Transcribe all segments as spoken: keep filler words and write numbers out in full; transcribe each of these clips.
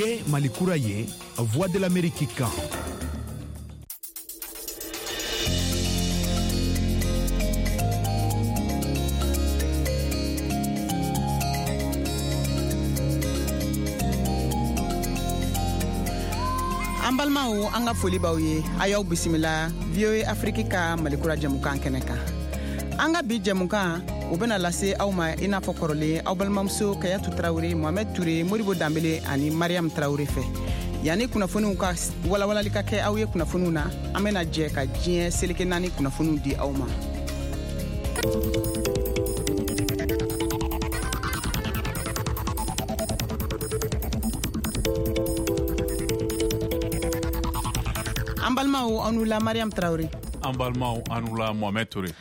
Nin ye Mali kura ye, Voix de l'Amérique kan. An balimaw, an ka foli b'aw ye. A y'aw bisimila V O A Afrique ka Malikura jɛmukan kɛnɛ kan. An ka bi jɛmukan o bena lase aw ma i n'a fɔ kɔrɔlen, aw balimamuso Kayatu Tarawure, Mohamɛd Ture, Modibo Danbele ani Mariam Tarawure fɛ. Yanni kunnafoniw ka walawalali ka kɛ aw ye kunnafoniw na, an bena jɛ ka diɲɛ seleke naani kunnafoniw di aw ma. An balimaw, aw ni la, Mariam Tarawure. An balimaw, aw ni la, Mohamɛd Ture.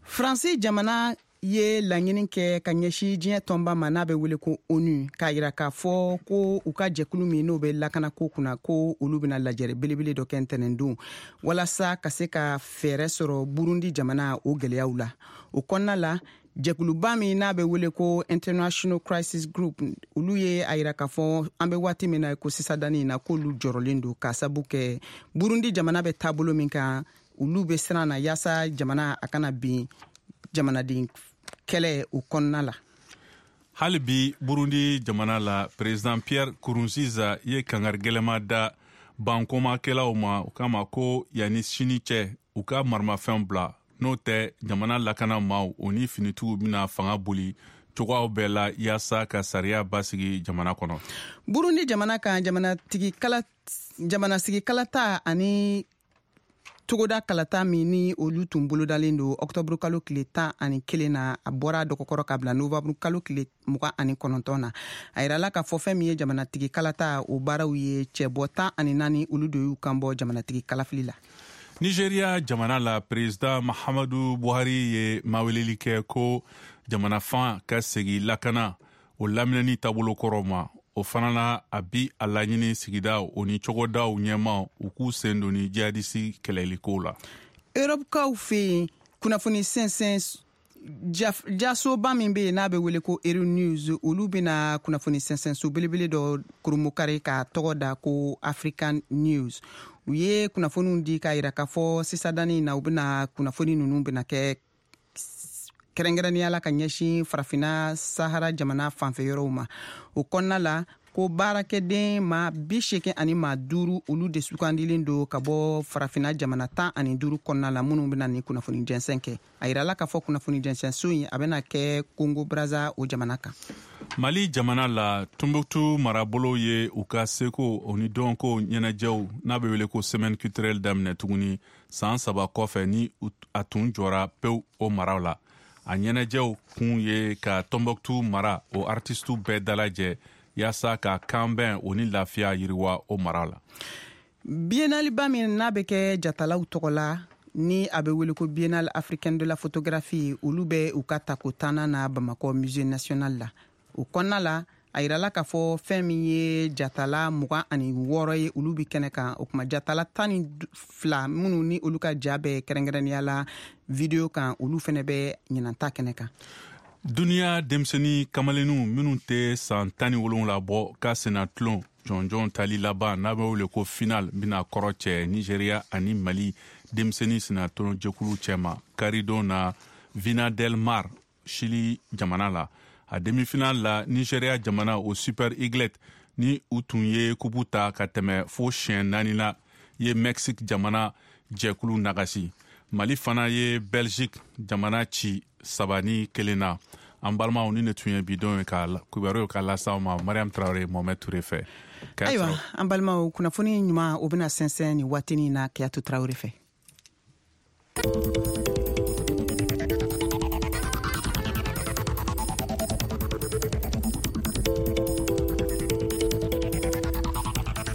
Faransi jamana ye laɲini kɛ ka ɲɛsin diɲɛ tɔnba ma n'a bɛ wele ko ONU, k'a yira k'a fɔ ko u ka jɛkulu min n'o bɛ lakanako kunna, ko olu bɛna lajɛrɛ belebele dɔ kɛ ntɛnɛndon walasa ka se ka fɛɛrɛ sɔrɔ Burundi jamana o gɛlɛyaw la. O kɔnɔna la, jɛkuluba min n'a bɛ wele ko International Crisis Group, olu ye a yira k'a fɔ an bɛ waati min na ko sisan na, k'olu jɔrɔlen don k'a sabu kɛ Burundi jamana bɛ taabolo min kan. Olu bɛ siran na yaasa jamana a kana bin jamanaden kɛlɛ o kɔnɔna la. Hali bi Burundi jamana la, président Pierre Nkurunziza ye kangari gɛlɛma da bankomakɛlaw ma o kama ko yanni sini cɛ, u ka maramafɛnw bila, n'o tɛ jamana lakana maaw o ni finitigiw bɛna fanga boli cogoyaw bɛɛ la yaasa ka sariya basigi jamana kɔnɔ. Burundi jamana kan, jamanatigi kala, jamanasigi kalata ani togoda kalata min ni olu tun bolodalen don ɔktɔburu kalo tile tan ani kelen na, a bɔra dɔgɔkɔrɔ ka bila novamburu kalo tile mugan ani kɔnɔntɔn na. A yirala k'a fɔ fɛn min ye jamanatigi kalata o baaraw ye, cɛbɔ tan ani naani olu de y'u kan bɔ jamanatigi kalafili la. Nigeria jamana la, président Mahamadu Buhari ye maweleli kɛ ko jamana fan ka segi lakana o laminɛni taabolo kɔrɔ ma. O fana na, a bi a laɲini sigida o ni cogodaw ɲɛmaw u k'u sen don ni jihadisi kɛlɛliko la. Erɔpukaw fɛ yen, kunnafoni sɛnsɛn jasoba min bɛ yen n'a bɛ wele ko Euronews, olu bɛna kunnafoni sɛnsɛnso belebele dɔ kurumukari k'a tɔgɔ da ko African News. U ye kunnafoniw di k'a yira k'a fɔ sisadani na, u bɛna kunnafoni ninnu bɛna kɛ kɛrɛnkɛrɛnnenya la ka ɲɛsin Farafinna Sahara jamana fanfɛ yɔrɔw ma. O kɔnɔna la, ko baarakɛden ma bi seegin ani maa duuru, olu de sugandilen don ka bɔ Farafinna jamana tan ani duuru kɔnɔna la, minnu bɛna nin kunnafoni jɛnsɛn kɛ. A yirala k'a fɔ kunnafoni jɛnsɛnso in a bɛna kɛ Kongo Braza o jamana kan. Mali jamana la, Tombouctou marabolo ye u ka seko o ni dɔnko ɲɛnajɛw n'a bɛ wele ko semaine culturelle daminɛ tuguni san saba kɔfɛ ni a tun jɔra pewu o maraw la. A ɲɛnajɛw kun ye ka Tombouctou mara o artistew bɛɛ dalajɛ yaasa ka kanbɛn o ni lafiya yiriwa o mara la. Biennaleba min n'a bɛ kɛ jatalaw tɔgɔ la ni a bɛ wele ko Biennale africaine de la photographie, olu bɛ u ka tako tannan na Bamakɔ Musée national la. O kɔnɔna la, a yirala k'a fɔ fɛn min ye jatala mugan ani wɔɔrɔ ye, olu bɛ kɛnɛ kan. O kuma jatala tan ni fila minnu ni olu ka ja bɛ kɛrɛnkɛrɛnnenya la video kan, olu fɛnɛ bɛ ɲinanta kɛnɛ kan. Duniya denmisɛnnin kamalenninw minnu tɛ san tan ni wolonwula bɔ ka senna tulon jɔnjɔn tali laban n'a bɛ wele ko final bɛna kɔrɔ cɛ Nigeria ani Mali denmisɛnnin senna tulon jɛkulu cɛma karidon na Vina del Mar, Chili jamana la. A demi-finale la, Nigeria jamana o Super Eaglet ni u tun ye kupu ta ka tɛmɛ fo siɲɛ naani na ye Mexique jamana jɛkulu nagasi. Mali fana ye Belgique jamana ci saba ni kelen na. An balimaw, ni ne tun ye bidon ye ka kibaruyaw ka las'aw ma Mariam Traoré, Mohamed Touré fɛ. Ayiwa, an balimaw, kunnafoni ɲuman o bɛna sɛnsɛn nin waatinin na Kiyatu Traoré fɛ.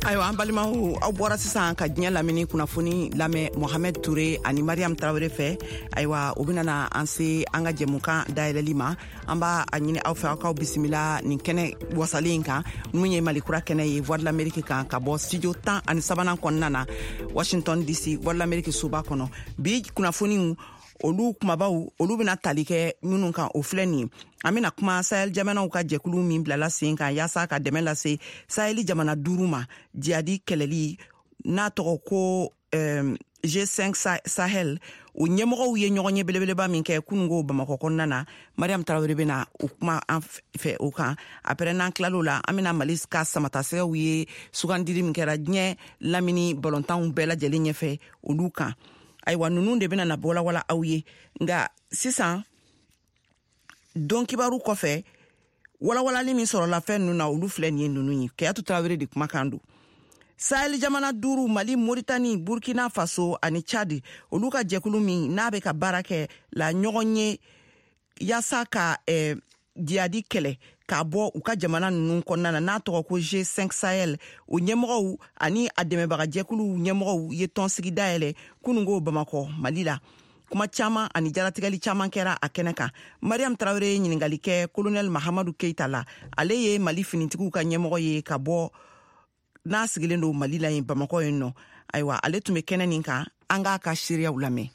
Ayiwa, an balimaw, aw bɔra sisan ka diɲɛ lamini kunnafoni lamɛn Mohamed Touré ani Mariam Traoré fɛ. Ayiwa, o bɛna na an se an ka jɛmukan dayɛlɛli ma. An b'a a ɲini aw fɛ, aw k'aw bisimila nin kɛnɛ wasalen kan min ye Malikura kɛnɛ ye Voix de l'Amérique kan, ka bɔ studio tan ani sabanan kɔnɔna na, Washington D C, Voix de l'Amérique soba kɔnɔ. Bi kunnafoniw Olu kumabaw, olu bɛna tali kɛ minnu kan, o filɛ nin ye. An bɛna kuma Sahel jamanaw ka jɛkulu min bilala sen kan yaasa ka dɛmɛ lase Sahel jamana duuru ma jihadi kɛlɛli, n'a tɔgɔ ko euh, G cinq Sahel, o ɲɛmɔgɔw ye ɲɔgɔn ye belebeleba min kɛ kunungo Bamakɔ kɔnɔna na. Mariam Tarawele bɛna o kuma an fɛ o kan. Après, n'an tilal'o la, an bɛna Mali ka samatasɛgɛw ye sugandili min kɛra diɲɛ lamini balontanw bɛɛ lajɛlen ɲɛfɛ, olu kan. Ayiwa, ninnu de bɛna na bɔlawala aw ye. Nka sisan, don kibaru kɔfɛ, walawalali min sɔrɔla fɛn ninnu na, olu filɛ nin ye. Ninnu ye Keyatu Tarawele de kumakan don. Sahel jamana duuru, Mali, Moritani, Burkina Faso ani Chad, olu ka jɛkulu min n'a bɛ ka baara kɛ la ɲɔgɔn ye yaasa ka eh, jihadi kɛlɛ k'a bɔ u ka jamana ninnu kɔnɔna na, n'a tɔgɔ ko G cinq Sahel, o ɲɛmɔgɔw ani a dɛmɛbagajɛkuluw ɲɛmɔgɔw ye tɔnsigi dayɛlɛ kunungo Bamakɔ, Mali la. Kuma caman ani jaratigɛli caman kɛra a kɛnɛ kan. Mariam Tarawele ye ɲiningali kɛ Kolonɛl Mahamadu Keita la. Ale ye Mali finitigiw ka ɲɛmɔgɔ ye ka bɔ n'a sigilen don Mali la yen, Bamakɔ yen nɔ. Ayiwa, ale tun bɛ kɛnɛ nin kan. An k'a ka seereyaw lamɛn.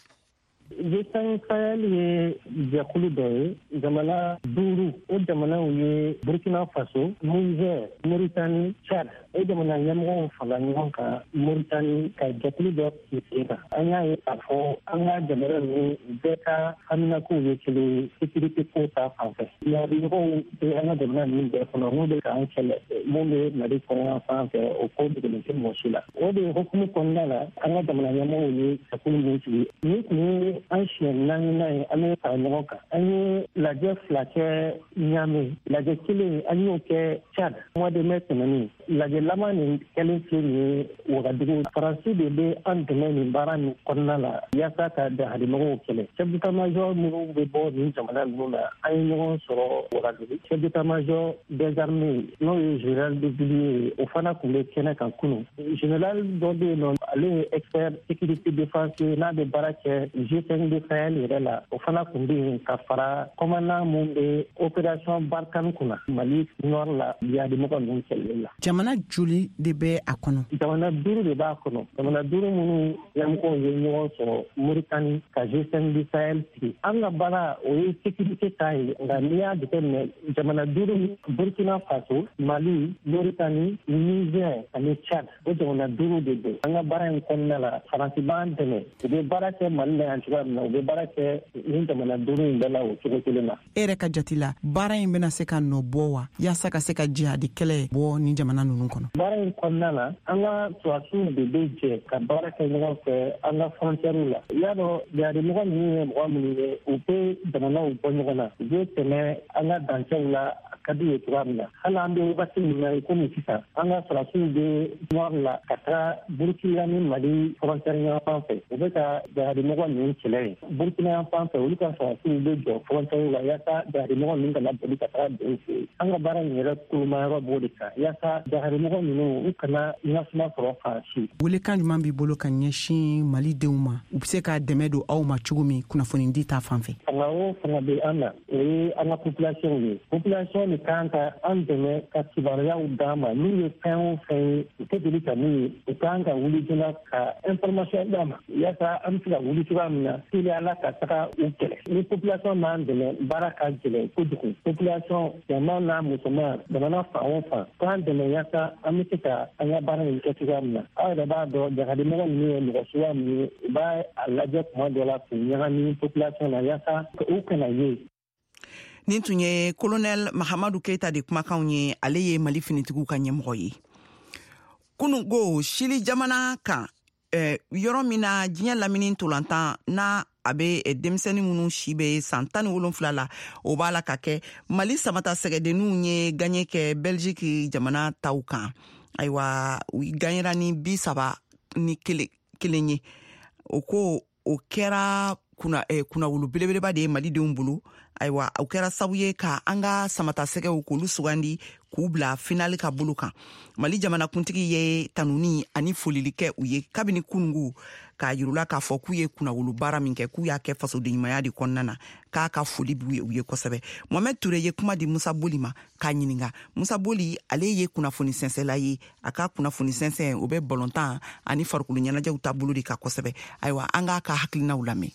G cinq Sahel ye jɛkulu dɔ ye, jamana duuru. O jamanaw ye Burkina Faso, Niger, Mauritanie, Chad. O jamana ɲɛmɔgɔw fara ɲɔgɔn kan Mauritanie ka jɛkulu dɔ sigi sen kan. An y'a ye k'a fɔ an ka jamana ninnu bɛɛ ka haminakow ye kelen ye sécurité ko ta fan fɛ. Yarimɔgɔw bɛ an ka jamana ninnu bɛɛ kɔnɔ, n'u bɛ k'an kɛlɛ. Mun bɛ Mali kɔnɔna fan fɛ, o ko dogolen tɛ mɔgɔ si la. O de hukumu kɔnɔna la, an ka jamana ɲɛmɔgɔw ye jɛkulu min sigi, nin tun ye an siɲɛ naaninan ye an bɛ fara ɲɔgɔn kan. An ye lajɛ fila kɛ Ɲame, lajɛ kelen an y'o kɛ Chad mois de mai tɛmɛnen, lajɛ laban nin kɛlen filɛ nin ye Wagadugu. Faransi de bɛ an dɛmɛ nin baara nin kɔnɔna la yaasa ka jahadimɔgɔw kɛlɛ. Chef d'état major minnu bɛ bɔ nin jamana ninnu na, an ye ɲɔgɔn sɔrɔ Wagadugu. Chef d'état major des armées, n'o ye général de Villiers ye, o fana tun bɛ kɛnɛ kan kunun. Général dɔ bɛ yen nɔ, ale ye expert sécurité défense ye, n'a bɛ baara kɛ G cinq de Sahel yɛrɛ la, o fana tun bɛ yen, ka fara commandant mun bɛ opération Barkhane kunna Mali nord la, jihadimɔgɔ ninnu kɛlɛli la. Jamana joli de bɛ a kɔnɔ? Jamana duuru de b'a kɔnɔ. Jamana duuru minnu ɲɛmɔgɔw ye ɲɔgɔn sɔrɔ Moritani ka G cinq du Sahel sigi. An ka baara, o ye sécurité ta ye. Nka n'i y'a jateminɛ, jamana duuru: Burkina Faso, Mali, Moritani, Niger ani Chad, o jamana duuru de don. An ka baara in kɔnɔna la, Faransi b'an dɛmɛ. U bɛ baara kɛ Mali la yan cogoya min na, u bɛ baara kɛ nin jamana duuru in bɛɛ la o cogo kelen na. E yɛrɛ ka jati la, baara in bɛna se ka nɔ bɔ wa, yaasa ka se ka jihadi kɛlɛ bɔ nin jamana ninnu kɔnɔ? Baara in kɔnɔna la, an ka sɔrɔdasiw de bɛ jɛ ka baara kɛ ɲɔgɔn fɛ an ka frontières la. I y'a dɔn, jihadimɔgɔ ninnu ye mɔgɔ minnu ye, u bɛ jamanaw bɔ ɲɔgɔn na, u bɛ tɛmɛ an ka dancɛw la, a ka d'u ye cogoya min na. Hali an bɛ wagati min na i komi sisan, an ka sɔrɔdasiw bɛ nord la ka taga Burukina ni Mali frontière ɲɔgɔn fɛ, u bɛ ka jihadimɔgɔ ninnu kɛlɛ yen. Burukina yan fan fɛ, olu ka sɔrɔdasiw bɛ jɔ frontière la yaasa jihadimɔgɔ ninnu kana boli ka taga don u fɛ yen. An ka baara in yɛrɛ kolomayɔrɔ b'o de kan, yaasa jihadimɔgɔ ninnu, u kana ɲɛsuma sɔrɔ fan si. Welekan jumɛn b'i bolo ka ɲɛsin Malidenw ma, u bɛ se ka dɛmɛ don aw ma cogo min kunnafonidi ta fan fɛ? Fanga o fanga bɛ an na, o ye an ka population ye. Population de kan ka an dɛmɛ ka kibaruyaw d'an ma. N'u ye fɛn o fɛn ye u tɛ deli ka min ye, u kan ka wuli joona ka information d'an ma, yaasa an bɛ se ka wuli cogoya min na teliya la ka taga u kɛlɛ. Ni population m'an dɛmɛ, baara ka gɛlɛn kojugu. Population cɛman n'a musoman, jamana fan o fan, k'an dɛmɛ yaasa an bɛ se ka an ka baara in kɛ cogoya min na. Aw yɛrɛ b'a dɔn jahadimɔgɔ ninnu ye mɔgɔ suguya min ye, u b'a a lajɛ tuma dɔ la k'u ɲagami population na yaasa u kana ye. Nin tun ye Kolonɛl Mahamadu Keita de kumakanw ye. Ale ye Mali finitigiw ka ɲɛmɔgɔ ye. Kunungo, Sili jamana kan, eh, yɔrɔ min na diɲɛ lamini ntolantan n'a a bɛ denmisɛnnin minnu si bɛ san tan ni wolonfila la, o b'a la ka kɛ, Mali samata sɛgɛdenninw ye gaɲɛ kɛ Belgique jamana taw kan. Ayiwa, u gaɲɛra ni bi saba ni kelen kelen ye. O ko o kɛra kunna eh, kunnawolo belebeleba de ye Malidenw bolo. Ayiwa, o kɛra sabu ye ka an ka samatasɛgɛw k'olu sugandi k'u bila finali ka bolo kan. Mali jamanakuntigi ye tanuni ani folili kɛ u ye kabini kunungu, k'a yirula k'a fɔ k'u ye kunnawolo baara min kɛ, k'u y'a kɛ fasodenɲumanya de kɔnɔna na, k'a ka foli b'u ye u ye kosɛbɛ. Mohamɛd Ture ye kuma di Musa Boli ma k'a ɲininga. Musa Boli, ale ye kunnafoni sɛnsɛla ye. A ka kunnafoni sɛnsɛn, o bɛ balontan ani farikolo ɲɛnajɛw taabolo de kan kosɛbɛ. Ayiwa, an k'a ka hakilinaw lamɛn.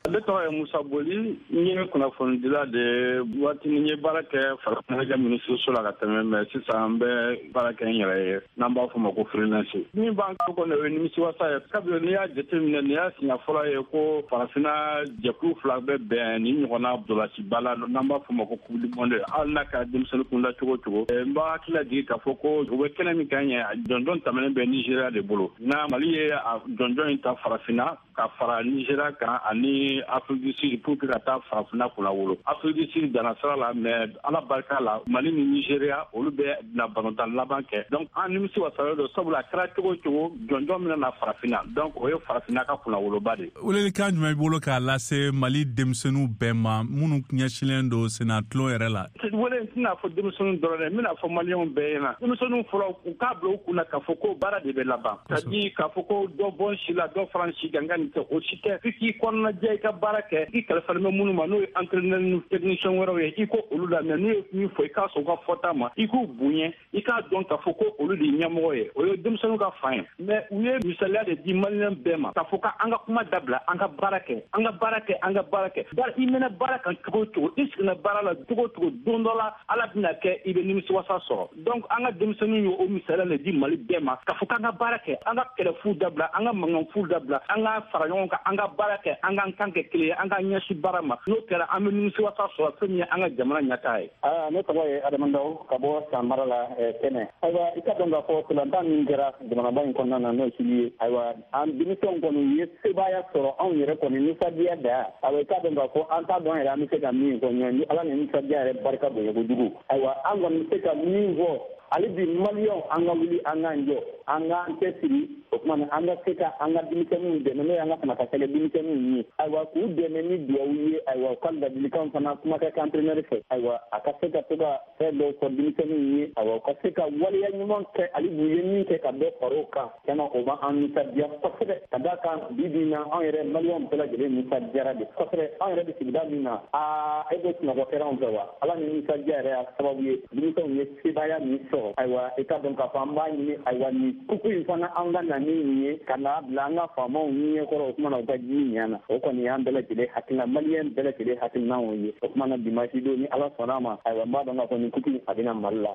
Ne tɔgɔ ye Musa Boli, n ye kunnafonidila de waati ni n ye baara kɛ farafinna minisiriso la ka tɛmɛ, mais sisan an bɛ baara kɛ n yɛrɛ ye n'an b'a fɔ o ma ko freelance. Min b'an kɔnɔ o ye nimisiwasa ye, kabini n'i y'a jateminɛ nin y'a siɲɛ fɔlɔ ye ko farafinna jɛkulu fila bɛ bɛn nin ɲɔgɔnna dolaciba la n'an b'a fɔ o ma ko Coupe du monde. Hali n'a kɛra denmisɛnnin kunda cogo o cogo, n b'a hakili lajigin k'a fɔ ko u bɛ kɛnɛ min kan ɲɛ, jɔnjɔn tɛmɛnen bɛ Nigéria de bolo. N'a Mali ye jɔnjɔn in ta farafinna ka fara Nigéria kan ani Afrique du Sud pour que ka taa farafinna kunnawolo. Afrique du Sud danna sira la, mais Ala barika la, Mali ni Nigéria olu bɛ na balontan laban kɛ. Donc an nimisi wasalen don, sabula a kɛra cogo o cogo jɔnjɔn min na farafinna, donc o ye farafinna ka kunnawoloba de ye. Welelikan jumɛn b'i bolo k'a lase Mali denmisɛnninw bɛɛ ma minnu ɲɛsinnen don sennatulon yɛrɛ la? Wele n tɛna fɔ denmisɛnninw dɔrɔn dɛ, n bɛna fɔ maliyɛnw bɛɛ ɲɛna. Denmisɛnninw fɔlɔ, u k'a bila u kunna k'a fɔ ko baara de bɛ laban. C'est à dire k'a fɔ ko dɔ bɔ n si la, dɔ fara n si kan, n ka nin kɛ, o si tɛ. F'i k'i kɔnɔna jɛ, i ka baara kɛ, i kalifalen bɛ minnu ma, n'o ye entraîneur ni technicien wɛrɛw ye, i ko olu lamɛn, n'u ye min fɔ i k'a sɔn u ka fɔta ma, i k'u bonya, i k'a dɔn k'a fɔ ko olu de ye ɲɛmɔgɔ ye. O ye denmisɛnninw ka fan ye. Mais u ye misaliya de di maliyɛn bɛɛ ma k'a fɔ k'an ka kuma dabila, an ka baara kɛ, an ka baara kɛ, an ka baara kɛ. I mɛnna baara kan cogo o cogo, i siginna baara la cogo o cogo, don dɔ la Ala bɛna kɛ i bɛ nimisiwasa sɔrɔ. Donc an ka denmisɛnninw ye o misaliya de di Mali bɛɛ ma k'a fɔ k'an ka baara kɛ, an ka kɛlɛfu dabila, an ka mankanfu dabila, an ka fara ɲɔgɔn kan, an ka baara kɛ, an k'an kan kɛ kelen ye, an k'an ɲɛsin baara ma. N'o kɛra, an bɛ nimisiwasa sɔrɔ fɛn min ye an ka jamana ɲɛtaa ye. Aa, ne tɔgɔ ye Adama Daw ka bɔ San mara la Kɛnɛ. Ayiwa, i ka dɔn k'a fɔ ntolantan min kɛra jamanaba in kɔnɔna na, n'o ye Sili ye, ayiwa an denmisɛnw kɔni u ye sebaaya sɔrɔ, anw yɛrɛ kɔni nisɔndiya da. Ayiwa, i ka dɔn k'a fɔ an t'a dɔn yɛrɛ an bɛ se ka min fɔ ɲɔgɔn ye, Ala ni nisɔndiya yɛrɛ barika bonya kojugu. Ayiwa, an kɔni bɛ se ka min fɔ hali bi, maliyɛnw, an ka wuli, an k'an jɔ, an k'an cɛsiri. O tuma na an ka se ka an ka denmisɛnninw dɛmɛ, n'o y'an ka samatasɛgɛ denmisɛnninw ye, ayiwa k'u dɛmɛ ni duwawu ye, ayiwa u ka ladilikanw fana kuma kɛ entraîneur fɛ, ayiwa a ka se ka to ka fɛn dɔw fɔ denmisɛnninw ye, ayiwa u ka se ka waleya ɲuman kɛ, hali bi u ye min kɛ ka dɔ fara o kan. Tiɲɛna, o b'an nisɔndiya kosɛbɛ, ka d'a kan bi bi in na anw yɛrɛ maliyɛnw bɛɛ lajɛlen nisɔndiyara de kosɛbɛ. Anw yɛrɛ bɛ sigida min na, aa, e ko sunɔgɔ kɛra anw fɛ wa? Ala ni nisɔndiya yɛrɛ y'a sababu ye, denmisɛnw ye sebaaya min sɔrɔ. Ayiwa, i ka dɔn k'a fɔ an b'a ɲini, ayiwa nin kupu in fana an ka na ni nin ye ka n'a bila an ka faamaw ɲɛkɔrɔ, o tuma na u ka ji ɲɛ na. O kɔni y'an bɛɛ lajɛlen hakilina, maliyɛn bɛɛ lajɛlen hakilina o ye. O tuma na dimanche don, ni Ala sɔnna a ma, ayiwa n b'a dɔn k'a fɔ nin kupu in a bɛna Mali la.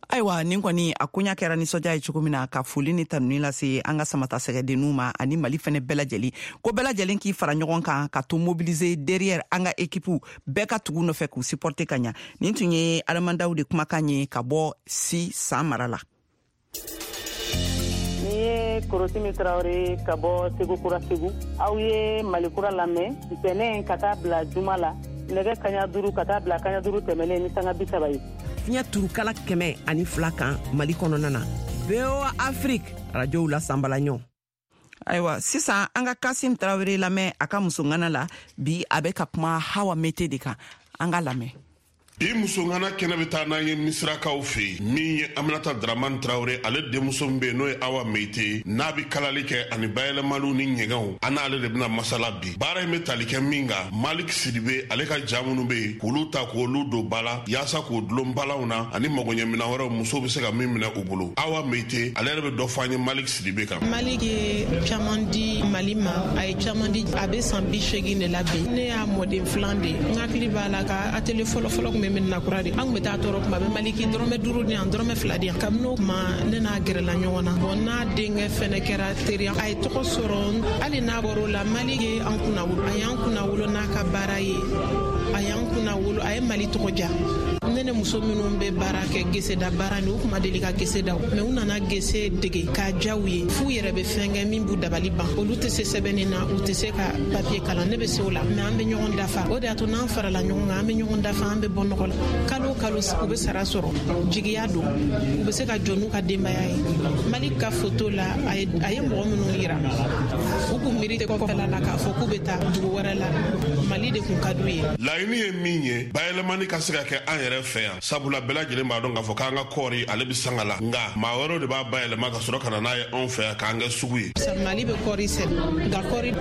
Ayiwa, nin kɔni a koɲa kɛra nisɔndiya ye cogo min na, ka foli ni tanuni lase an ka samatasɛgɛdenninw ma ani Mali fɛnɛ bɛɛ lajɛlen, ko bɛɛ lajɛlen k'i fara ɲɔgɔn kan ka to mobiliser derrière an ka équipe bɛɛ, ka tugu nɔfɛ k'u supporter ka ɲa. Nin tun ye Adamandaw de kumakan ye ka bɔ Si San mara la. Ni ye Korosimi Tarawele ka bɔ Segu Kura Segu. Aw ye Mali Kura lamɛn ntɛnɛn ka taa bila juma la, nɛgɛ kaɲa duuru ka taa bila kaɲa duuru tɛmɛnen ni sanga bi saba ye. Fiɲɛ turukala kɛmɛ ani fila kan Mali kɔnɔna na, V O A Afrique, arajow la sanbalaɲɔ. Ayiwa, sisan an ka Kasim Tarawele lamɛn a ka musoŋana la. Bi a bɛ ka kuma Hawa Mete de kan, an ka lamɛn. Bi musoŋana kɛnɛ bɛ taa n'an ye Misirakaw fɛ yen, min ye Aminata Dramani Tarawele, ale denmuso min bɛ yen, n'o ye Awa Meyite, n'a bɛ kalali kɛ ani bayɛlɛmaliw ni ɲɛgɛnw. An n'ale de bɛna masala bi. Baara in bɛ tali kɛ min kan, Malik Sidibe, ale ka ja minnu bɛ yen, k'olu ta k'olu don ba la yaasa k'o dulon balanw na ani magoɲɛminɛn wɛrɛw, musow bɛ se ka min minɛ u bolo. Awa Meyite, ale yɛrɛ bɛ dɔ fɔ an ye Malik Sidibe kan. Malik ye caman di Mali ma, a ye caman di. A bɛ san bi seegin de la bi. Ne y'a mɔden filan de ye. N hakili b'a la ka atelier fɔlɔ fɔlɔ kun bɛ Medina Kura de. An kun bɛ taa tɔɔrɔ kuma bɛ, Maliki dɔrɔmɛ duuru di yan, dɔrɔmɛ fila di yan. Kabini o kuma, ne n'a gɛrɛla ɲɔgɔn na. Bon, n'a denkɛ fɛnɛ kɛra teri, a ye tɔgɔ sɔrɔ. Hali n'a bɔr'o la, Mali ye an kunna wolo, a y'an kunna wolo n'a ka baara ye, a y'an kunna wolo, a ye Mali tɔgɔ ja. Ne ni muso minnu bɛ baara kɛ geseda baara ni, u kuma deli ka gese da, mais u nana gese dege k'a ja u ye, f'u yɛrɛ bɛ fɛn kɛ min b'u dabali ban. Olu tɛ se sɛbɛnni na, u tɛ se ka papiye kalan, ne bɛ se o la, mais an bɛ ɲɔgɔn dafa. O de y'a to n'an farala ɲɔgɔn kan, an bɛ ɲɔgɔn dafa, an bɛ bɔ nɔgɔ la. Kalo o kalo, u bɛ sara sɔrɔ, jigiya don, u bɛ se ka jɔ n'u ka denbaya ye. Mali ka foto la, a ye a ye mɔgɔ minnu yira, u kun miiri tɛ kɔfɛla la k'a fɔ k'u bɛ taa dugu wɛrɛ la, Mali de kun ka d'u ye. Laɲini ye min min ye bayɛlɛmani ka se ka kɛ an yɛrɛ fɛ yan, sabula bɛɛ lajɛlen b'a dɔn k'a fɔ k'an ka kɔɔri ale bɛ sanga la, nka maa wɛrɛw de b'a bayɛlɛma ka sɔrɔ ka na n'a ye anw fɛ yan k'an kɛ sugu ye. Mali bɛ kɔɔri sɛnɛ, nka kɔɔri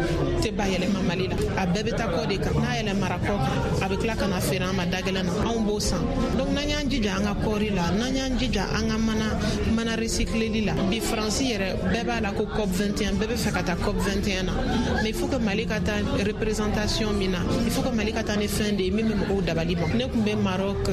tɛ bayɛlɛma Mali la, a bɛɛ bɛ taa kɔ de kan. N'a yɛlɛmara kɔ kan, a bɛ tila ka na feere an ma dagɛlɛn na, anw b'o san. Donc n'an y'an jija an ka kɔɔri la, n'an y'an jija an ka mana mana recycleli la, bi Faransi yɛrɛ bɛɛ b'a la ko COP vingt et un, bɛɛ bɛ fɛ ka taa COP vingt et un na, mais il faut que Mali ka taa représentation min na, il faut que Mali ka taa ni fɛn de ye min bɛ mɔgɔw dabali ban. Ne tun bɛ Maroc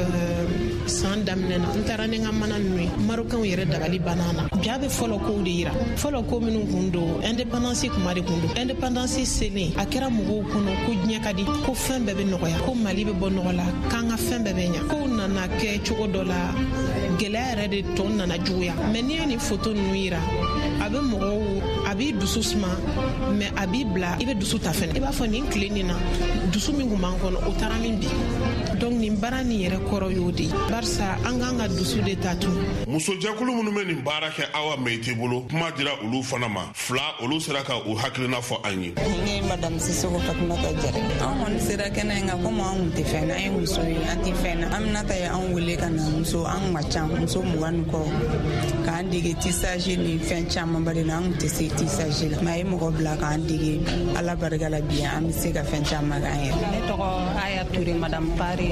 san daminɛ na, n taara ni n ka mana ninnu ye, Marocains yɛrɛ dabali banna na. Ja bɛ fɔlɔ kow de yira, fɔlɔ ko minnu kun don, indépendance kuma de kun don. Indépendance selen, a kɛra mɔgɔw kɔnɔ ko diɲɛ ka di, ko fɛn bɛɛ bɛ nɔgɔya, ko Mali bɛ bɔ nɔgɔ la, k'an ka fɛn bɛɛ bɛ ɲa. Kow nana kɛ cogo dɔ la, gɛlɛya yɛrɛ de tɔ nana juguya. Mais n'i ye nin photo ninnu yira, a bɛ mɔgɔw, a b'i dusu suma, mais a b'i bila i bɛ dusu ta fɛnɛ. I b'a fɔ nin tile nin na, dusu min kun b'an kɔnɔ, o taara min bi. Donc nin baara nin yɛrɛ kɔrɔ y'o de ye, barisa an k'an ka dusu de ta tun. Musojɛkulu minnu bɛ nin baara kɛ Awa Meyite bolo, kuma dira olu fana ma. Fila olu sera ka u hakilina fɔ an ye. Ne ye Madame Sisoko Fatumata Jara. An kɔni sera kɛnɛ in kan komi an kun tɛ fɛn na, an ye muso ye, an tɛ fɛn na. Aminata ye anw wele ka na, muso an ka ca, muso mugan ni kɔ, k'an dege tissage ni fɛn camanba de la. An kun tɛ se tissage la, mais a ye mɔgɔ bila k'an dege. Ala barika la, bi an bɛ se ka fɛn caman k'an yɛrɛ. Ne tɔgɔ Aya Ture, Madame Pare.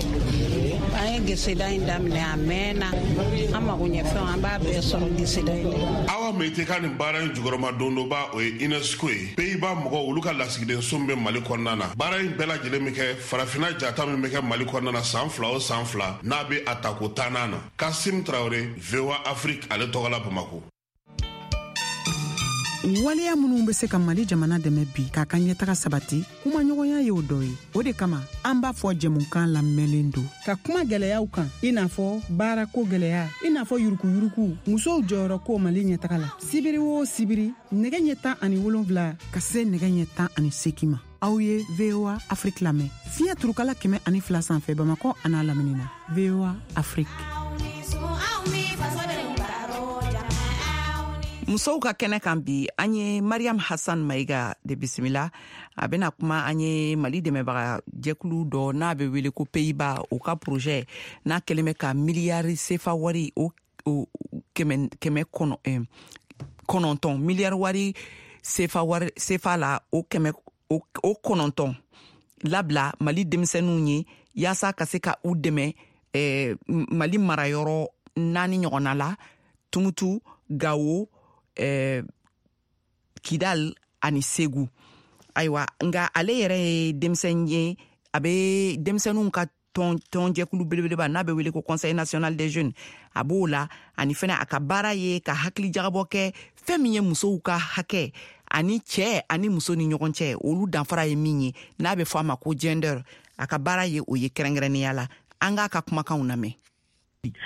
An ye geseda in daminɛ a mɛnna, an mago ɲɛfɛnw an b'a bɛɛ sɔrɔ geseda in de. Awa Meyite ka nin baara in jukɔrɔma dondoba, o ye UNESCO ye. Pays-Bas mɔgɔw olu ka lasigidenso min bɛ Mali kɔnɔna na, baara in bɛɛ lajɛlen bɛ kɛ farafinna jata min bɛ kɛ Mali kɔnɔna na san fila o san fila, n'a bɛ a tako tannan na. Kasim Traoré, V O A Afrique, ale tɔgɔ la Bamako. Waleya minnu bɛ se ka Mali jamana dɛmɛ bi k'a ka ɲɛtaga sabati, kumaɲɔgɔnya y'o dɔ ye. O de kama an b'a fɔ jɛmukan lamɛnlen don ka kuma gɛlɛyaw kan, i n'a fɔ baarako gɛlɛya, i n'a fɔ yurukuyuruku, musow jɔyɔrɔ ko Mali ɲɛtaga la. Sibiri o sibiri, nɛgɛ ɲɛ tan ani wolonfila ka se nɛgɛ ɲɛ tan ani seegin ma, aw ye V O A Afrique lamɛn fiɲɛ turukala kɛmɛ ani fila sanfɛ Bamakɔ an'a lamini na. V O A Afrique. Musow ka kɛnɛ kan bi, an ye Mariam Hassan Mayiga de bisimila. A bɛna kuma an ye Mali dɛmɛbaga jɛkulu dɔ n'a bɛ wele ko Pays-Bas, o ka projet n'a kɛlen bɛ ka miliyari sefa wari o kɛmɛ kɛmɛ kɔnɔ kɔnɔntɔn miliyari wari sefa wari sefa la o kɛmɛ o kɔnɔntɔn labila Mali denmisɛnninw ye yaasa ka se ka u dɛmɛ eh, Mali marayɔrɔ naani ɲɔgɔnna la, Tumutu, Gawo, Eh, Kidal ani Segu. Ayiwa, nka ale yɛrɛ ye denmisɛn ye, a bɛ denmisɛnninw ka tɔn tɔnjɛkulu belebeleba n'a bɛ wele ko Conseil national des jeunes, a b'o la. Ani fɛnɛ a ka baara ye ka hakili jagabɔ kɛ fɛn min ye musow ka hakɛ ani cɛ ani muso ni ɲɔgɔn cɛ, olu danfara ye min ye, n'a bɛ fɔ a ma ko gender. A ka baara ye o ye kɛrɛnkɛrɛnnenya la. An k'a ka kumakanw lamɛn.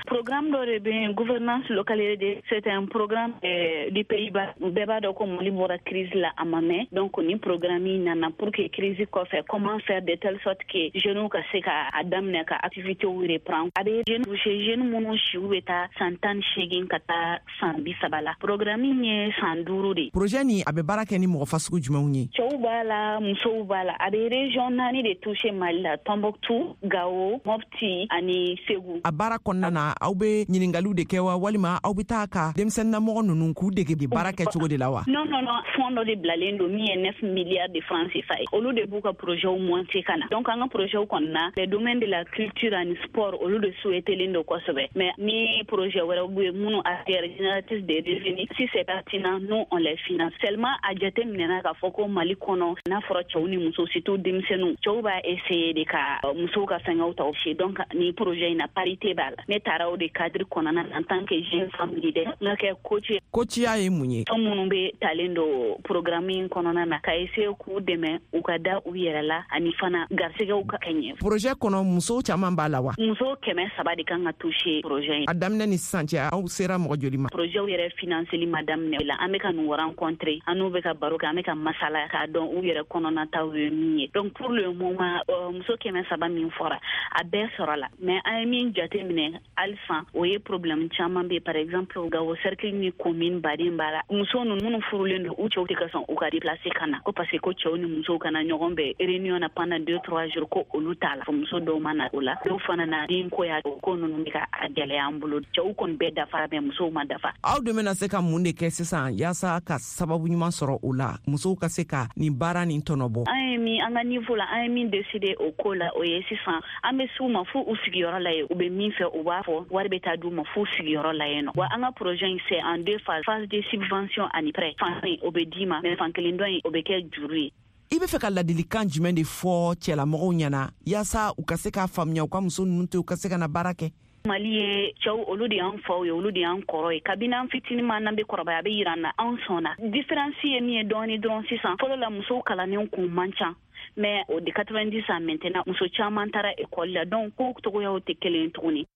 Programme dɔ de bɛ yen, gouvernance locale de, c'est un programme euh, du Pays-Bas. Bɛɛ b'a dɔn ko Mali bɔra crise la a ma mɛn, donc ni programme in nana pour que crise kɔfɛ, comment faire de telle sorte que jeunes ka se ka a daminɛ ka activité reprendre. A bɛ jeunes toucher, jeunes minnu siw bɛ taa san tan ni seegin ka taa san bi saba la. Programme in ye san duuru de. Projet nin a bɛ baara kɛ ni mɔgɔ fasugu jumɛnw ye? Cɛw b'a la, musow b'a la. A bɛ région naani de toucher Mali la: Tombouctou, Gao, Mopti ani Segu. A baara kɔnɔna na, aw bɛ ɲininkaliw de kɛ wa, walima aw bɛ taa ka denmisɛnninamɔgɔ ninnu k'u dege baara kɛ cogo de la wa? Non non non, fond dɔ de bilalen don min ye neuf milliards de francs C F A ye. Olu de b'u ka projet monter ka na. Donc an ka projet kɔnɔna, les domaines de la culture ani sport, olu de souhaitelen don kosɛbɛ. Mais ni projet wɛrɛw bɛ yen minnu a génératrice de revenus, si c'est pertinent, nous on les finance. Seulement a jate minɛna k'a fɔ ko Mali kɔnɔ, n'a fɔra cɛw ni musow, surtout denmisɛnninw, cɛw b'a essayer de ka musow ka fɛngɛw ta. Donc ni projet in na, parité b'a la. Ne taara o de cadre kɔnɔna na en tant que jeune femme leader, n ka kɛ coach. Coachya ye mun ye? Tɔn minnu bɛ talen don programme in kɔnɔna na, ka essayer k'u dɛmɛ u ka da u yɛrɛ la, ani fana garisɛgɛw ka kɛ ɲɛ. Projet kɔnɔ, musow caman b'a la wa? Muso kɛmɛ saba de kan ka toucher projet in. A daminɛ ni sisan cɛ, aw sera mɔgɔ joli ma? Projet yɛrɛ financeli ma daminɛ la, an bɛ ka n'u rencontrer, an n'u bɛ ka baro kɛ, an bɛ ka masala k'a dɔn u yɛrɛ kɔnɔnataw ye min ye. Donc pour le moment, muso kɛmɛ saba min fɔra, a bɛɛ sɔrɔ la. Mais an ye min jate minɛ Halisa o ye problème caman bɛ, par exemple Gawo cercle ni commune baden b'a la, muso ninnu minnu furulen don, u cɛw tɛ ka sɔn u ka déplacer ka na, ko parce que ko cɛw ni musow kana ɲɔgɔn bɛn réunion na pendant deux trois jours, ko olu t'a la. Muso dɔw ma na o la, dɔw fana na den ko y'a ko ninnu bɛ ka a gɛlɛya an bolo. Cɛw kɔni bɛɛ dafara, mais musow ma dafa. Aw dun bɛna se ka mun de kɛ sisan yaasa ka sababu ɲuman sɔrɔ o la, musow ka se ka nin baara nin tɔnɔ bɔ? An ye min an ka niveau la, an ye min décider o ko la, o ye sisan an bɛ s'u ma fo u sigiyɔrɔ la yen. U bɛ min fɛ, u b'a fɔ, wari bɛ taa d'u ma f'u sigiyɔrɔ la yen nɔ. Wa an ka projet in, c'est en deux phases: phase de subvention ani prêt. Fan o bɛ d'i ma, mais fan kelen dɔ in, o bɛ kɛ juru ye. I bɛ fɛ ka ladilikan jumɛn de fɔ cɛlamɔgɔw ɲɛna yaasa u ka se k'a faamuya, u ka muso ninnu to u ka se ka na baara kɛ? Mali ye cɛw, olu de y'an faw ye, olu de y'an kɔrɔ ye. Kabini an fitinin ma n'an bɛ kɔrɔbaya, a bɛ yira an na, anw sɔnna. Différence ye min ye dɔɔni dɔrɔn, sisan fɔlɔ la musow kalannen kun man ca, mais o de quatre-vingt-dix à maintenant, muso caman taara école la, donc ko togoyaw tɛ kelen tuguni.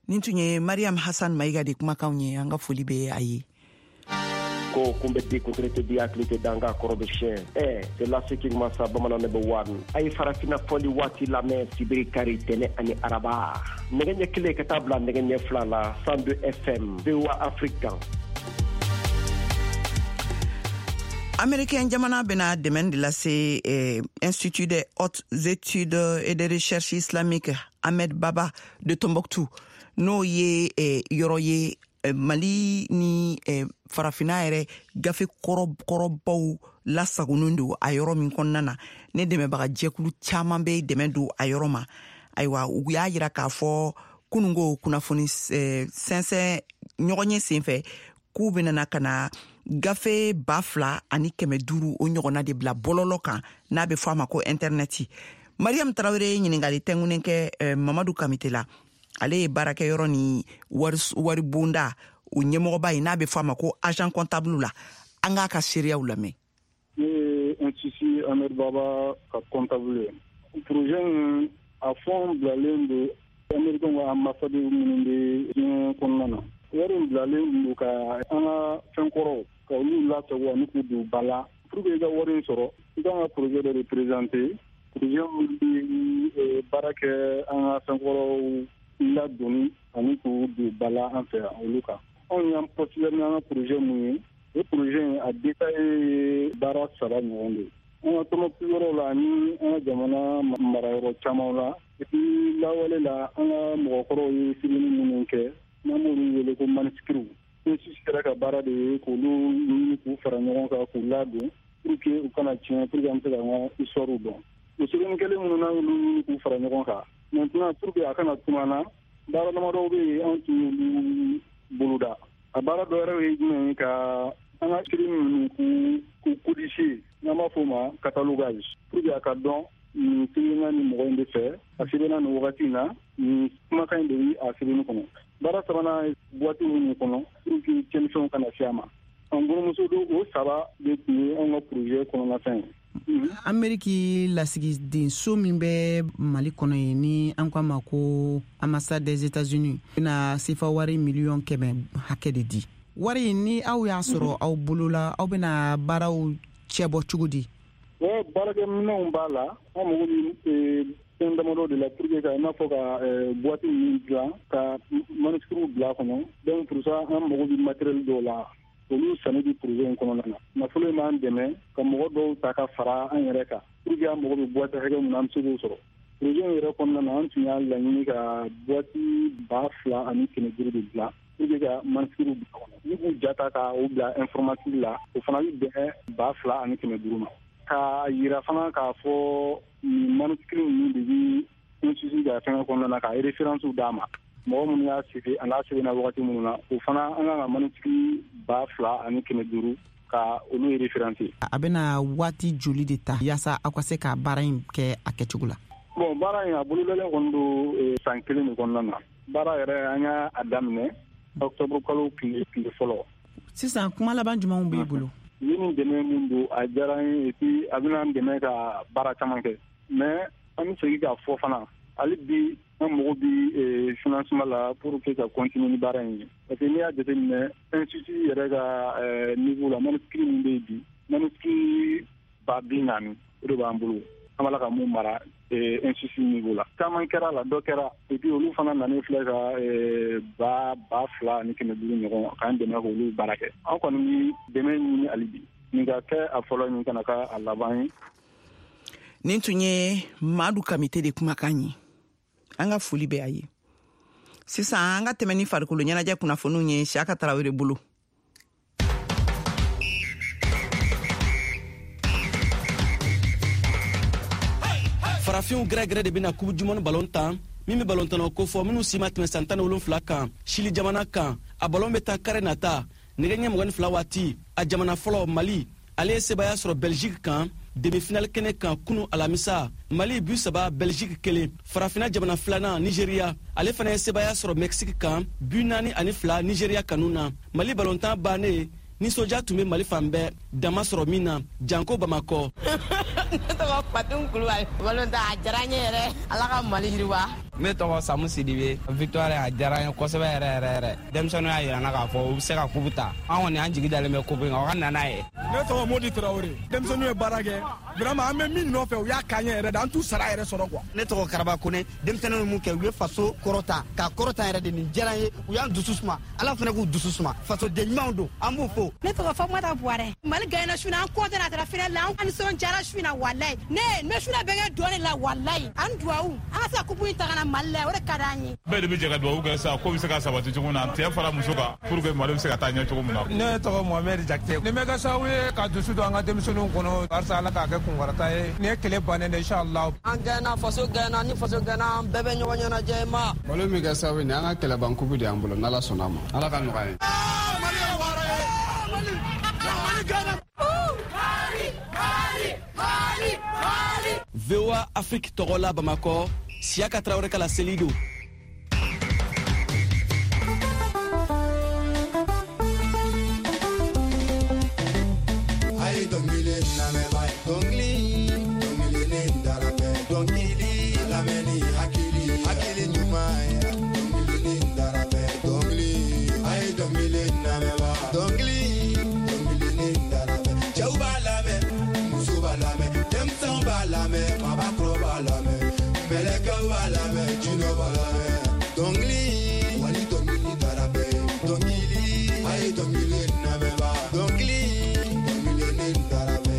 Nin tun ye Mariam Hassan Mayiga de kumakanw ye. An ka foli bɛ a ye. Ko kun bɛ di kuntiri tɛ di, hakili tɛ danga kɔrɔ bɛ siɲɛ. Ɛ c'est lasiki masa bamanan ne bɛ wari a ye farafinna fɔli waati lamɛn sibiri, kari, tɛnɛ ani araba, nɛgɛ ɲɛ kelen ka taa bila nɛgɛ ɲɛ fila la, cent deux F M, V O A Afrique kan. Américain jamana bɛna dɛmɛ de lase eh, Institut des hautes études et des recherches islamiques Ahmed Baba de Tombouctou, n'o ye eh, yɔrɔ ye eh, Mali ni eh, farafina yɛrɛ gafe kɔrɔbaw lasagonnen don a yɔrɔ min kɔnɔna na. Ne dɛmɛbaga jɛkulu caman bɛ dɛmɛ don a yɔrɔ ma. Ayiwa, u y'a yira k'a fɔ kununko kunnafoni eh, sɛnsɛn ɲɔgɔn ye senfɛ k'u bɛna ka na gafe ba fila ani kɛmɛ duuru o ɲɔgɔnna de bila bɔlɔlɔ kan, n'a bɛ fɔ a ma ko intɛrɛnɛti. Mariam Tarawele ye ɲininkali tɛnkunnen kɛ eh, Mamadu Kamite la. Ale ye baarakɛyɔrɔ ni waribonda o ɲɛmɔgɔba ye, n'a bɛ fɔ a ma ko agent comptable la. An k'a ka seereyaw lamɛn. Ne ye Institut Ahmed Baba ka comptable ye. Projet in, a fond bilalen don Américain ka ambassade minnu bɛ diɲɛ kɔnɔna na. Wari in bilalen don ka an ka fɛn kɔrɔw ka olu lasago ani k'u don ba la. Pour que i ka wari in sɔrɔ, i kan ka projet dɔ de présenter, projet min bɛ baara kɛ an ka fɛn kɔrɔw ladonni ani k'u don ba la an fɛ yan olu kan. Anw y'an postuler n'an ka projet mun ye, o projet in a détaillé ye baara saba ɲɔgɔn de ye. An ka Tɔnbɔkutu yɔrɔw la ani an ka jamana marayɔrɔ camanw la, et puis lawale la, an ka mɔgɔkɔrɔw ye sɛbɛnni minnu kɛ, n'an b'olu wele ko manuscrits, Institut yɛrɛ ka baara de ye k'olu ɲini k'u fara ɲɔgɔn kan k'u ladon pour que u kana tiɲɛ, pour que an bɛ se k'an ka histoire dɔn. O sɛbɛnni kɛlen minnu n'an y'olu ɲini k'u fara ɲɔgɔn kan, maintenant pour que a kana tunun an na, baara damadɔw bɛ yen anw tun y'olu boloda. A baara dɔ wɛrɛ ye jumɛn ye? Ka an ka sɛbɛn ninnu k'u k'u codifier, n'an b'a fɔ o ma catalogage, pour que a ka dɔn nin sɛbɛnna nin mɔgɔ in de fɛ, a sɛbɛnna nin wagati in na, nin kumakan in de bɛ a sɛbɛnni kɔnɔ. Baara sabanan ye boîte minnu kɔnɔ pour que tiɲɛnifɛnw kana se a ma. En grosso modo, o saba de tun ye anw ka projet kɔnɔna fɛn ye. Ameriki lasigidenso min bɛ Mali kɔnɔ ye, ni an ko a ma ko ambassade des États-Unis, bɛna sefa wari miliyɔn kɛmɛ hakɛ de di. Wari in, ni aw y'a sɔrɔ aw bolo la, aw bɛna baaraw cɛbɔ cogo di? Ouais, baarakɛminɛnw b'a la. An mago bɛ fɛn damadɔ de la pour que ka i n'a fɔ ka boîte ninnu dilan, ka manuscrits bila a kɔnɔ. Donc pour ça, an mago bɛ matériel dɔw la, olu sanni bɛ projet in kɔnɔna na. Nafolo in b'an dɛmɛ ka mɔgɔ dɔw ta ka fara an yɛrɛ kan pour que an mago bɛ boîte hakɛ min na, an bɛ se k'o sɔrɔ. Projet in yɛrɛ kɔnɔna na, an tun y'a laɲini ka boîte ba fila ani kɛmɛ duuru de dilan pour que ka manuscrits bila kɔnɔ. Ni k'u ja ta ka o bila informatique la, o fana bɛ bɛn ba fila ani kɛmɛ duuru ma. Ka yira fana k'a fɔ nin manuscrits ninnu de bɛ institut ka fɛngɛ kɔnɔna na, ka référence d'a ma, mɔgɔ minnu y'a sɛbɛn a n'a sɛbɛnna wagati minnu na. O fana, an kan ka manuscrits ba fila ani kɛmɛ duuru ka olu référencer. A bɛna waati joli de ta yaasa aw ka se ka baara in kɛ a kɛcogo la? Bon, baara in a bolodalen kɔni don san kelen de kɔnɔna na. Baara yɛrɛ, an y'a daminɛ octobre kalo tile tile fɔlɔ. Sisan, kuma laban jumɛnw b'i bolo? U ye nin dɛmɛ min don, a diyara an ye, et puis a bɛna an dɛmɛ ka baara caman kɛ. Mais an bɛ segin k'a fɔ fana, hali bi an mago bi financement la pour que ka continuer ni baara in ye, parce que n'i y'a jateminɛ institut yɛrɛ ka niveau la, manuscrit min bɛ yen bi, manuscrit ba bi naani, o de b'an bolo, an b'a la ka mun mara. institut niveau la. Caman kɛra la, dɔ kɛra, et puis olu fana nana filɛ ka ba ba fila ani kɛmɛ duuru ɲɔgɔn k'an dɛmɛ k'olu baara kɛ. An kɔni bi dɛmɛ ɲini hali bi, nin ka kɛ a fɔlɔ, nin kana kɛ a laban ye. Nin tun ye Madu Kamite de kumakan ye. An ka foli bɛ a ye. Sisan an ka tɛmɛ ni farikolo ɲɛnajɛ kunnafoniw ye Siyaka Tarawele bolo. Farafinw gɛrɛgɛrɛ de bɛna Coupe du monde ballon tan min bɛ balontannaw kofɔ minnu si ma tɛmɛ san tan ni wolonfila kan Chili jamana kan. A ballon bɛ taa kari nata nɛgɛ ɲɛ mugan ni fila waati. A jamana fɔlɔ Mali, ale ye sebaaya sɔrɔ Belgique kan demi-finale kɛnɛ kan kunu alamisa. Mali bu saba, Belgique kelen. Farafinna jamana filanan Nigeria, ale fana ye sebaaya sɔrɔ Mexique kan bu naani ani fila Nigeria kanu na. Mali balontan bannen, nisɔndiya tun bɛ Mali fan bɛɛ dama sɔrɔ min na janko Bamakɔ. Ne tɔgɔ Fatum Kulubali. Balontan a diyara n ye yɛrɛ, Ala ka Mali yiriwa. Ne tɔgɔ Samu Sidibe. Victoire a diyara n ye kosɛbɛ yɛrɛ yɛrɛ yɛrɛ. Denmisɛnninw y'a yira n na k'a fɔ u bɛ se ka coupe ta. An kɔni an jigi dalen bɛ coupe in kan, o ka na n'a ye. Ne tɔgɔ Modi Traoré. Denmisɛnninw ye baara kɛ. Vraiment an bɛ min nɔfɛ, u y'a k'an ye yɛrɛ de, an t'u sara yɛrɛ sɔrɔ quoi. Ne tɔgɔ Karaba Kone. Denmisɛnninw ye mun kɛ, u ye faso kɔrɔta, k'a kɔrɔta yɛrɛ de, nin diyara n ye. U y'an dusu suma, Ala fana k'u dusu suma. Fasoden ɲumanw don, an b'u fo. Ne tɔgɔ Famata Buwarɛ. Mali gagné su in na, an content na, a taara finale la, an nisɔndiyara su in na walayi. Ne n bɛ su in na bɛɛ kɛ dɔn de la walayi. An duwawu, an ka se ka coupe in ta ka na Mali la, o de ka d'an ye. Bɛɛ de bɛ jɛ ka duwawu kɛ sisan ko bɛ se ka sabati cogo min na, cɛ fara muso kan pour que Mali bɛ se ka taa ɲɛ cogo min na. Ne tɔgɔ Mohamed Jakite. Nin bɛ kɛ sababu ye ka dusu don an ka denmisɛnninw kɔnɔ barisa Ala k'a kɛ kunkarata ye. Nin ye kɛlɛ bannen de inchallah. An gagné, faso gagné, ni faso gagné, an bɛɛ bɛ ɲɔgɔn ɲɛnajɛ ma. Malo min kɛ sababu ye nin y'an ka kɛlɛban coupe de y'an bolo, n'Ala sɔnna a ma. Ala ka nɔgɔya ye. V O A Afrique tɔgɔ la Bamakɔ, Siyaka Tarawele ka laseli don. A ye dɔnkili lamɛn, dɔnkili dɔnkili ne dara bɛ, dɔnkili lamɛn ni hakili, hakili ɲuman ye. Dɔnkili ne dara bɛ, dɔnkili a ye dɔnkili lamɛn, dɔnkili dɔnkili ne dara bɛ. Cɛw b'a lamɛn, musow b'a lamɛn, denmisɛnw b'a lamɛn, maabakɔrɔ b'a lamɛn, mɛlɛkɛw b'a lamɛn, jinɛw b'a lamɛn. Dɔnkili wali dɔnkili dara bɛ, dɔnkili a ye dɔnkili lamɛn, dɔnkili dɔnkili ne dara bɛ.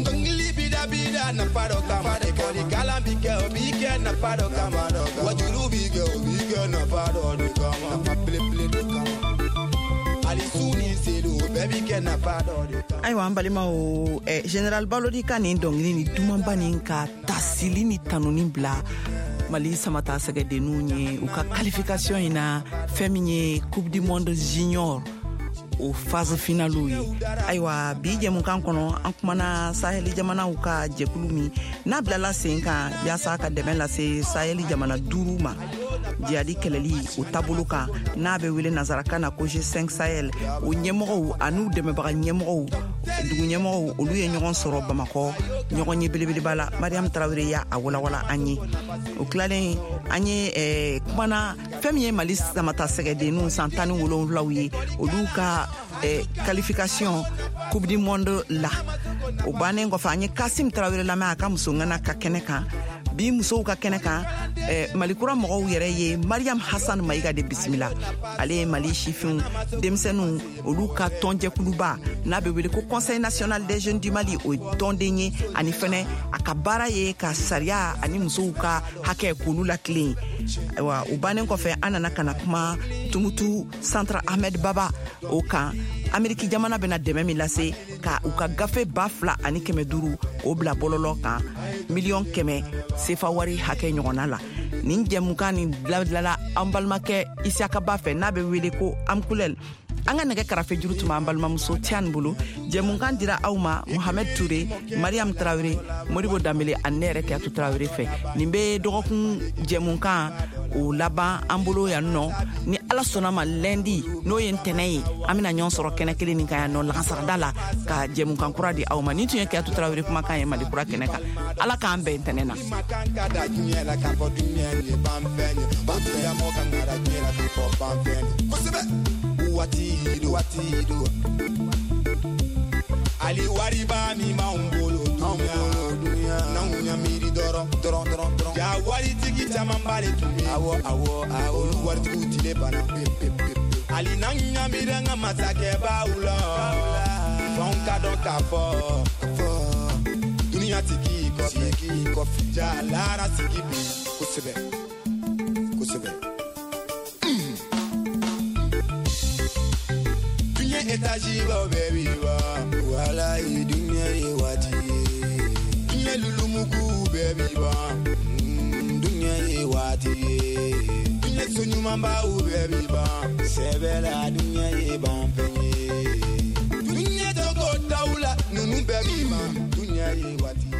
Dɔnkili bida bida nafa dɔ kama, ekɔli kalan bi kɛ o bi kɛ nafa dɔ kama, wajulu bi kɛ o bi kɛ nafa dɔ de kama, nafa belebele de kama. Ayiwa an balimaw, eh, General Balodi ka nin dɔnkili ni dumanba nin ka tasili ni tanuni bila Mali samata sɛgɛdenninw ye u ka qualification in na, fɛn min ye Coupe du monde junior o phase finale ye. Ayiwa bi jɛmukan kɔnɔ, an kumana Saheli jamanaw ka jɛkulu min n'a bilala sen kan yaasa ka dɛmɛ lase Saheli jamana duuru ma jihadi kɛlɛli o taabolo kan, n'a bɛ wele nansarakan na ko G cinq Sahel. O ɲɛmɔgɔw an'u dɛmɛbaga ɲɛmɔgɔw, dugu ɲɛmɔgɔw, olu ye ɲɔgɔn sɔrɔ Bamakɔ ɲɔgɔn ye belebeleba la. Mariam Tarawele y'a walawala an ye. O tilalen an ye eh, kumana fɛn min ye Mali samata sɛgɛdenninw san tan ni wolonwulaw ye, olu ka eh, qualification Coupe du monde la. O bannen kɔfɛ, an ye Kasim Tarawele lamɛn a ka musoŋana ka kɛnɛ kan. Bi musow ka kɛnɛ kan, eh, Mali kura mɔgɔw yɛrɛ ye Mariam Hassan Mayiga de bisimila. Ale ye Mali sifinw denmisɛnninw olu ka tɔnjɛkuluba n'a bɛ wele ko Conseil national des jeunes du Mali, o ye tɔnden ye, ani fɛnɛ a ka baara ye ka sariya ani musow ka hakɛ k'olu latilen. Ayiwa o bannen kɔfɛ, an nana ka na kuma Tumutu Centre Ahmed Baba o kan. Ameriki jamana bɛna dɛmɛ min lase ka u ka gafe ba fila ani kɛmɛ duuru k'o bila bɔlɔlɔ kan, miliyɔn kɛmɛ sefa wari hakɛ ɲɔgɔnna la. Nin jɛmukan nin diladilala an balimakɛ Isiaka Ba fɛ n'a bɛ wele ko Amkulɛl. An ka nɛgɛ karafe juru tun b'an balimamuso Tian bolo. Jɛmukan dira aw ma Mohamed Touré, Mariam Traoré, Modibo Danbele ani ne yɛrɛ Kiyatu Traoré fɛ. Nin bɛ dɔgɔkun jɛmukan o laban an bolo yan nɔ. Ni Ala sɔnna ma, lundi n'o ye ntɛnɛn ye, an bɛna ɲɔgɔn sɔrɔ kɛnɛ kelen nin kan yan nɔ lagasarada la ka jɛmukan kura di aw ma. Nin tun ye Kiyatu Traoré kumakan ye Mali kura kɛnɛ kan. Ala k'an bɛn ntɛnɛn na. Waati do, waati do. Ali wariba min b'anw bolo dunya n'anw ɲa miiri dɔrɔn dɔrɔn dɔrɔn dɔrɔn ja waritigi camanba de tun bɛ awɔ awɔ awɔ olu waritigiw tile banna pe pe pe Ali n'anw ɲa miiri an ka masakɛbaw la f'anw ka dɔn k'a fɔ dunuya tigi kɔfɛ kɔfɛ ja lara sigi bi kosɛbɛ kosɛbɛ. Dunya étage baw bɛɛ bi ban walayi dunya ye waati ye dunya lulumugu bɛɛ bi ban dunya ye waati ye dunya so ɲumanbaw bɛɛ bi ban sɛbɛ la dunya ye ban fɛn ye dunya tɔgɔ daw la ninnu bɛɛ bi ban dunya ye waati.